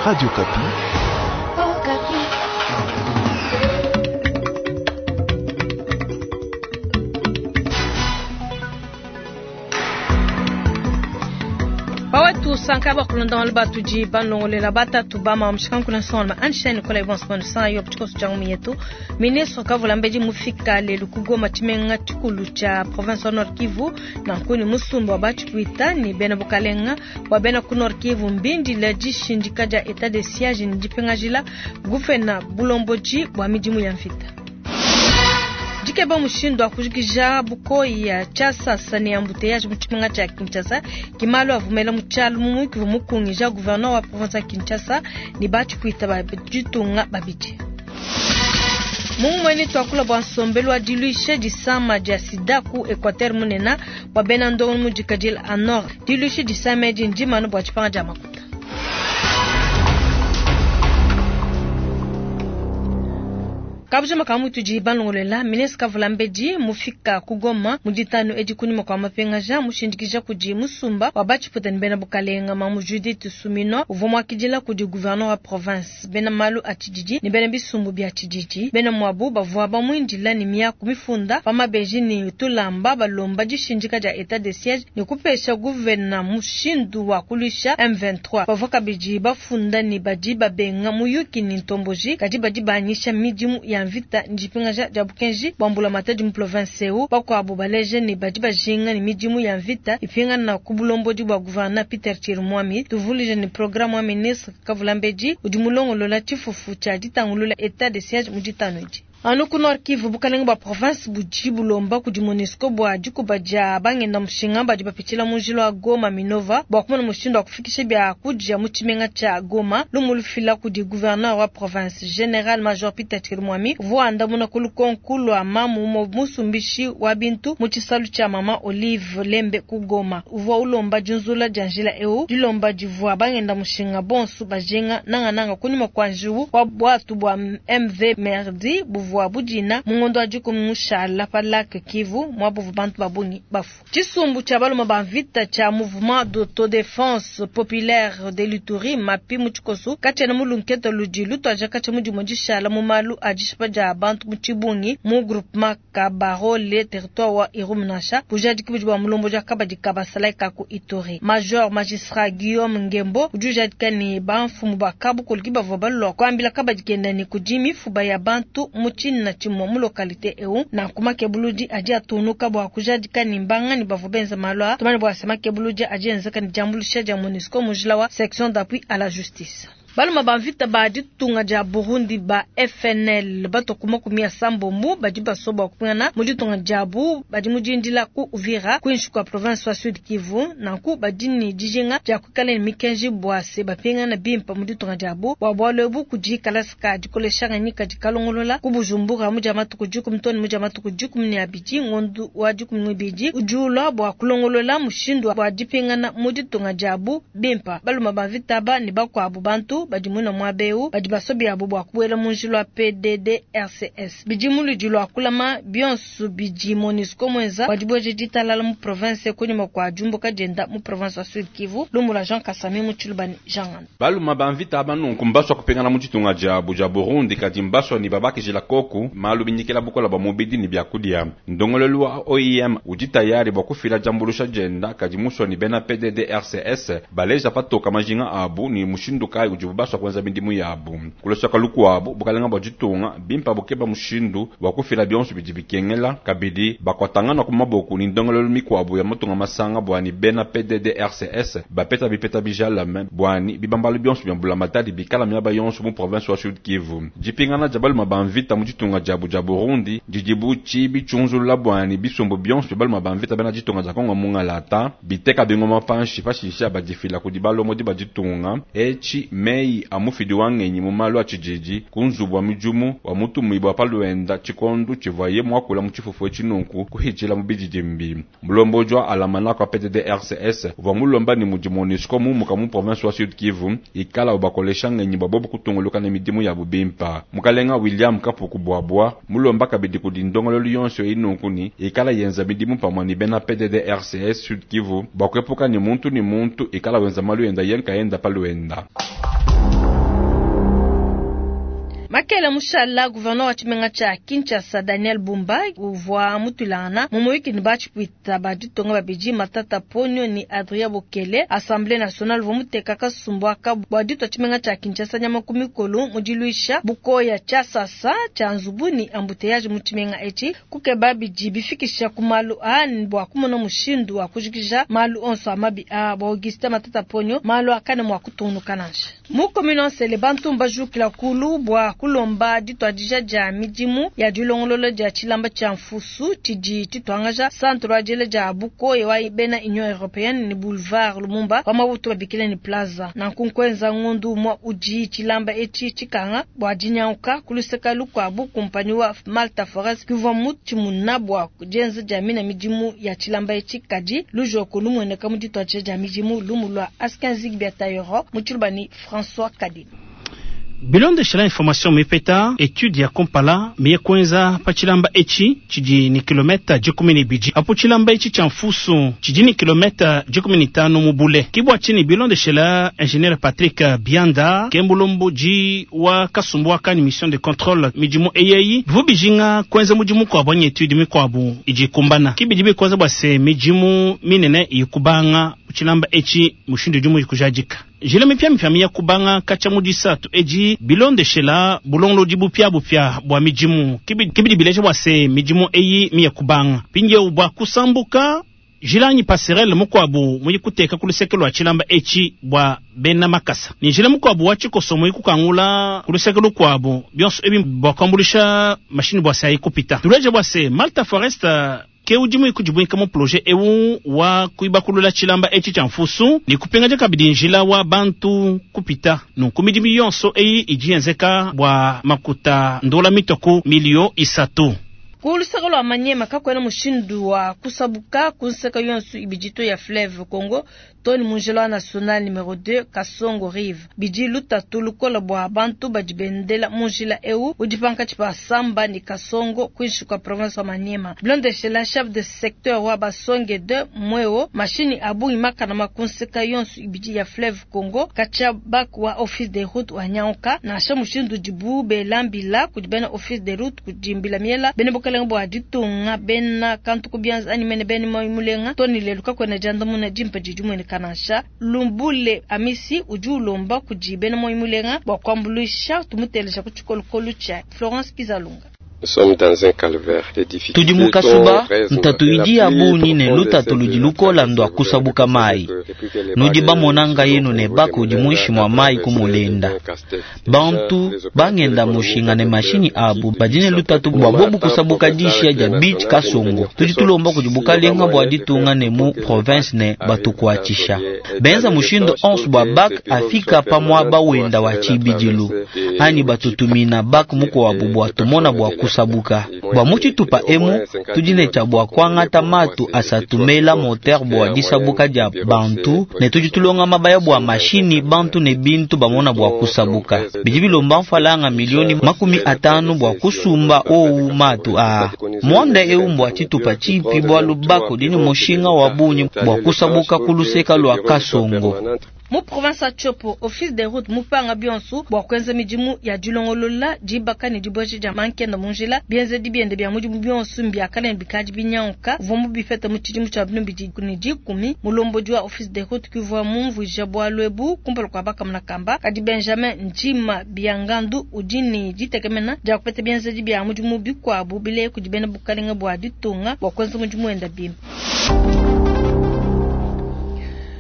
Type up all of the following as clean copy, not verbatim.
Radio Okapi. Pawetu sanka bakulonda malu batudi banlongolela batatu bama mushikanku na nsonga Einstein kola ibonso banu san yo tshikoso tshia ngumi yetu. Ministre kavula mbedi mufika lelu ku Goma tshimenga tshikulu tshia province wa Nord Kivu na nkuni musumba wa batshikuita ni bena bukalenga bwa bena ku Nord Kivu mbindila dishindika dia etat de siège ni dipingajila gufena bulomboji bwa midimu ya mvita. Dikeba mushindu wa kujikija bukoyi ya tshiasasa ne embouteillage mu tshimenga tshia Kinshasa kimalo avumela mu tshialu mu mukivu mukungija gouverneur wa province ya Kinshasa ni batshikuita ba ditunga babidi. Mungumweni twakula bwa nsombelu wa diluisha disama dia sida ku Equateur munena bwa bena ndongo mu dikadila a nord. Diluisha disama edi ndimanu bwa tshipanga dia makuta. Kabuja makamu tudi balongolela ministre kavula mbedi mufika ku Goma mu ditanu edi kunyima kwa mapengaja mushindikija kudi musumba wa batshiputa ni bena bukalenga mamu Judith Suminwa uvua muakidila kudi gouverneur wa province bena malu a tshididi ni bena bisumbu bia tshididi bena mwabu bavua bamuindila ni miaku mifunda pa mabeji ni tulamba balomba dishindika dia etat de siège ni kupesha gouverneur mushindu wa kulusha M23 bavua kabidi bafunda ni badi babenga muyuki ni ntomboji kadi badi banyisha midimu ya mvita ndipingaja dia bukenji bwa mbulamatadi mu province eu bakuabu baleje ni badi bajinga ni midimu ya mvita ipingana ku bulombodi bwa gouverneur Peter Chirimwami tuvulije ni programme wa ministre Kavula Mbedi udi mulongolola tshifufu tshia ditangulula etat de siège mu ditanu edi. Anu ku Nord Kivu bukalenga bwa province budi bulomba kudi MONUSCO bwa dikuba dia bangenda mushinga badi bapitshila mu njila wa Goma Minova bwa kumona mushindu wa kufikisha bia kudia mu tshimenga tshia Goma lumu lufila kudi gouverneur wa province General Major Peter Chirimwami uvua andamuna ku lukonku lua mamu musumbishi wa bintu mu tshisalu tshia mama Olive Lembe ku Goma uvua ulomba dinzula dia njila eu dilomba divua bangenda mushinga bonso bajinga nangananga kunyima kwa njiwu wa bwatu bwa MV Merdi buvua wa budina mungondo wa dikumi mushala pa lac Kivu mwabuvu bantu babungi bafu. Tshisumbu tshia baluma ba mvita tshia mouvement d'autodéfense populaire de l'Ituri mapi mu tshikoso katshiena mu lunkete ludi lutuaja katshia mudimu dishala mu malu a dishipa dia bantu mu tshibungi mu groupement Kabarole territoire wa Irumu nansha bujadiki budi bua mulombo dia kabadi ka basalayi ka ku Ituri. Major magistrat Guillaume Ngembo udi ujadika ni bamfumu ba kabukulu bavua balua kuambila kabadi kenda ni kudi mifuba ya bantu mu tshina tshimue mu localité eu na kumakebuludi adi atunuka bua kujadika ni mbanga ni bavua benza malu a tumane bua se makebuludi adi enzeka ni diambuluisha dia MONUSCO mu njila wa section d'appui à la justice. Baluma ba mvita ba ditunga dia Burundi ba FNL batokuma kumia sambombu badi basoba kupingana mu ditunga diabu badi mudindila ku Uvira kuinshi kwa province wa Sud Kivu nanku badi ni dijinga dia kuikala ni mikenji bua se bapingana bimpa mu ditunga diabu bua bualu ebu kudi kalasa dikolesha nganyika dikalongolola ku Bujumbura mu dia matuku dikumi toni mu dia matuku dikumi ne abidi ngondu wa dikumi ne ibidi udi ulua bua kulongolola mushindu wa dipingana mu ditunga diabu bimpa. Baluma ba mvita ba ni bakuabu bantu badi muna mwabeu badi basobi abo bua kubuela mu njila wa PDDRCS bidi muludi lua kulama bionso bidi MONUSCO mwenza badi bweje ditalala mu province kunyima kwa jumbuka dienda mu province wa Sud Kivu lumula Jean Kasami mu Tshilubani Jean Nganda. Baluma ba mvita aba nunku mbaswa kupingana mu ditunga diabu dia Burundi kadi mbaswa ni babakijila koku malu binyikila bukola bwa mubidi ni byakudia. Ndongolelu wa OIM udi tayari bua kufila jambulusha dienda kadi muswa ni bena PDDRCS baleja patoka majinga abu ni mushindu kai udi baswa kwenza midimu yabu. Kulosaka lukuabu bukalenga bwa ditunga bimpa bukeba mushindu wa kufila bionso bidi bikengela kabidi bakwatangana ku maboku ni ndongolelu mikuabu ya matunga masanga bwani bena PDDRCS bapeta bipeta bijalame bwani bibambalu bionso bya mbulamatadi bikala miaba yonso mu province wa Sud Kivu. Dipingana dia baluma ba mvita mu ditunga diabu dia Burundi didibu tshibi tshunzulula bwani bisumbu bionso bya baluma ba mvita bena ditunga dia Kongo mungalata biteka bingoma panshi pashisha badifila kudi balomodi ba ditunga etshi mei a mufidi wa ngenyi mu malu a tshididi ku nzubu wa midimu wa mutumibua bwa palwenda tshikondu tshivuaye muakula mu tshifufu etshi nunku kuhitshila mu bididimbi. Mulomboji wa alamana kwa PDDRCS uvua mulomba ni mudi MONUSCO mumuka mu province wa Sud Kivu ikala ubakolesha ngenyi bwa bobu kutunguluka ne midimu ya bubimpa. Mukalenga William Kapuku Bwabwa mulomba kabidi kudi ndongolelu yonso inunku ni ikala yenza midimu pamue ni bena PDDRCS Sud Kivu bwa kuepuka ni muntu ni muntu ikala wenza malu yenda yenka yenda palwenda. Makela mushala, gouverneur wa tshimenga tshia Kinshasa Daniel Bumba uvua mutuilangana mu muyuki ne batshipuita ba ditunga babidi Matata Ponyo ne Adrien Bokele. Assemblée nationale uvua muteka kasumbu aka bua ditua tshimenga tshia Kinshasa nyama ku mikolo mu diluisha bukoya tshiasasa tshia nzubu ne embouteillage mu tshimenga etshi, kukeba bidi bifikisha ku malu aa bua kumona mushindu wa kujikija malu onso a mabi aa. Bua Augustin Matata Ponyo, malu akane mua kutungunuka nansha. Mu commune wa Nsele, bantu mbajukila kulu bua kulomba dituadija dia midimu ya dilongolola dia tshilamba tshia mfusu tshidi tshituangaja centre wa diela dia bukoya wa bena Union Européenne ne boulevard Lumumba wa Maputo babikila ne Plaza. Nanku nkuenza ngondu umue udi tshilamba etshi tshikanga bua dinyanguka ku luseke lukuabu. Kumpanyi wa Malta Forest kivua mutshimuna bua dienza dia mina midimu ya tshilamba etshi, kadi lujoko lumueneka mu dituadija dia midimu. Lumu lua Askin Zigbia Tayoro mu tshiluba ne François Kadima. Bilondeshela information mipeta, etude ya kumpala miye kuenza pa tshilamba etshi tshidi ni kilometa 12, apo tshilamba etshi tshia mfusu tshidi ni kilometa 15 mu bule. Kibwa tshini bilondeshela ingénieur Patrick Bianda kembulomboji wa kasumbu wa mission de contrôle midimu eyeyi bivu bijinga kuenza mudimu kwabu anyi etude mikwabu idi ikumbana. Kibidi bikwenza bua se midimu minene ikubanga tshilamba etshi mushindu udi muyikujadika. Njila mipya miya kubanga katshia mu disatu edi bilondeshela bulongolodi bupia bua midimu. Kibidi bileja bua se midimu eyi miya kubanga mpindieu bua kusambuka njila anyi passerelle mukuabu muyi kuteka ku luseke lua tshilamba etshi bua bena makasa, ne njila mukuabu wa tshikoso muyi kukangula ku luseke lukuabu, bionso ebi bua kuambuluisha mashini bua se ayi kupita. Tuleje bua se Malta Forest ke udi muyi kudibuinka mu projet ewu wa kuibakulula tshilamba etshi tshia mfusu ne kupingaja kabidi njila wa bantu kupita. Nunku midimu yonso eyi idi yenzeka bua makuta ndola mitoku milio 3. Ku luseke lua Maniema kakuena mushindu wa kusabuka ku nseke yonso ibidi ya fleuve Congo to ne mu njila wa national numero 2 Kasongo Rive. Bidi lutatu lukola bua bantu badi bendela mu njila eu udi pankatshi pa Samba ne Kasongo kuinshi kua province wa Maniema. Bilondeshela chef de secteur wa Basonge 2 Mweo, mashini a bungi makana ma ku nseke yonso ibidi ya fleuve Congo katshia bac wa office des routes wa nyanguka, nansha mushindu udibu belambila kudi bena office des routes kudi mbila miela bena bukalenga bua ditunga bena kantu ku bianza anyi mene bena mulenga to ne lelu kakuena diandamuna dimpe didi mueneka nansha. Lumbule Amisi udi ulomba kudi bena mulenga bua kuambuluisha. Tumuteleja ku tshikolokolo tshia Florence Kizalunga. Tudi mu kasuba ntatu idi ya bungi ne lutatu ludi lukola ndua kusabuka mai. Nudi bamonanga yenu ne baka udi muinshi mua mai kumulenda. Bantu bangenda mushinga ne mashinyi abu badi ne lutatu bua bobu kusabuka dishia dia beach Kasongo. Tudi tulomba kudi bukalenga bua ditunga ne mu province ne batukuatshisha. Benza mushindu onso bua bak afika pa muaba wenda wa tshibidilu anyi batutumina bak mukuabu bua tumona bua kusabuka. Bua mu tshitupa emu tudi ne tshia bua kuangata matu asatu mela moteur bua disabuka dia bantu ne tudi tulonga mabaya bua mashini bantu ne bintu bamona bua kusabuka. Bidi bilomba mfalanga milioni 50 bua kusumba owu matu aa. Mwanda eu mbua tshitupa tshipi bualu bako dini mushinga wa bungi bua kusabuka ku luseka lua Kasongo. Mu province ya Tshopo, office des routes mupanga bionso bua kuenza midimu ya dilongolola dibaka ne dibueja dia mankenda mu njila. Bienzedi biende bia mudimu bionso mbiakale ne bikadi binyanguka uvua mubipeta mu tshidimu tshia 2010. Mulombodi wa office des routes kivua mumvuija bualu ebu kumpala kua bakamuna kamba. Kadi Benjamin Ndima Biangandu udi ne ditekemena dia kupeta bienzedi bia mudimu bikuabu bile kudi bena bukalenga bua ditunga bua kuenza mudimu wenda bimpe.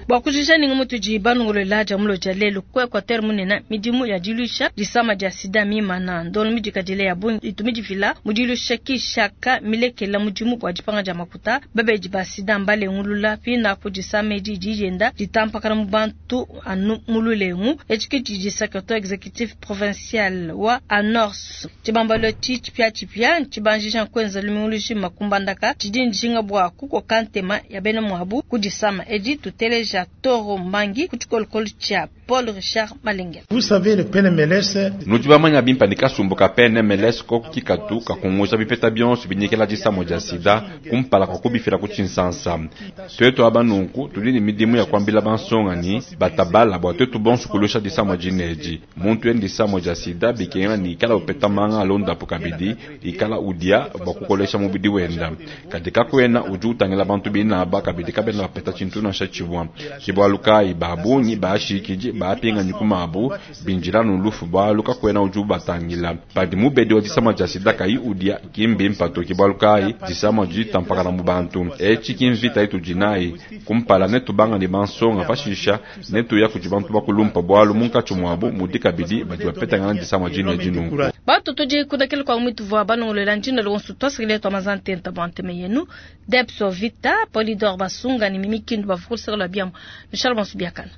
Bua kujija ninga mutudi balongolola dia mulo dia lelu ku Equateur munene, midimu ya diluisha disama dia sida mimana ndolo midikadile ya bungi itu midifila mu diluisha kishaka milekela mudimu bua dipanga dia makuta. Babedi ba sida mbalengulula pinapo disama edi didienda ditampakana mu bantu anu mu lulengu. Etshi tshidi secrétaire exécutif provincial wa ANORS tshibambalo tshipia tshipia tshibanjija kuenza lumingu lujima kumbandaka tshidi njinga bua kukoka ntema ya bena muabu ku disama edi. Tuteleja Toro Mbangi ku tshikolokolo tshia Paul Richard Malengela. Vous savez, le PNMLS. Nudi bamanya bimpa ne kasumbu ka PNMLS koku kikatu kakunguja bipeta bionso binyikela disama dia sida kumpala kwa kubifila ku tshinsansa. Tuetu aba nunku tudi ne midimu ya kuambila bansonga ni batabala bua tuetu bonso kulusha disama dinedi. Muntu endi disama dia sida bikengela ni ikala upeta manga alondapo kabidi ikala udia bua kukolesha mubidi wenda. Kadi kakuena udi utangila bantu binaba kabidi kabena bapeta tshintu nansha tshimue. Ke bualu kayi ba bungi bashikidi bapinganyi ku mabu binjila nu lufu bualu kakuena udi ubatangila. Padi mubedi wa disama dia sida kayi udia ki mbimpe to, ke bualu kayi disama didi ditampakana mu bantu. Etshi ki mvita itudi nayi kumpala, netubanga ne bansonga, pashisha netuya kudi bantu bakulumpa bualu munkatshi muabu mudi kabidi badi bapetangana disama dinedi nunku. Bantu tudi kudakela kwa mwitu vua banongolola njina lonso twasakile twa mazantenta bwa nteme yenu Depso Vita Polidor Basunga ni Mimi Kindu bavukulisaka lwa biamu Michel Bonsu Biakana.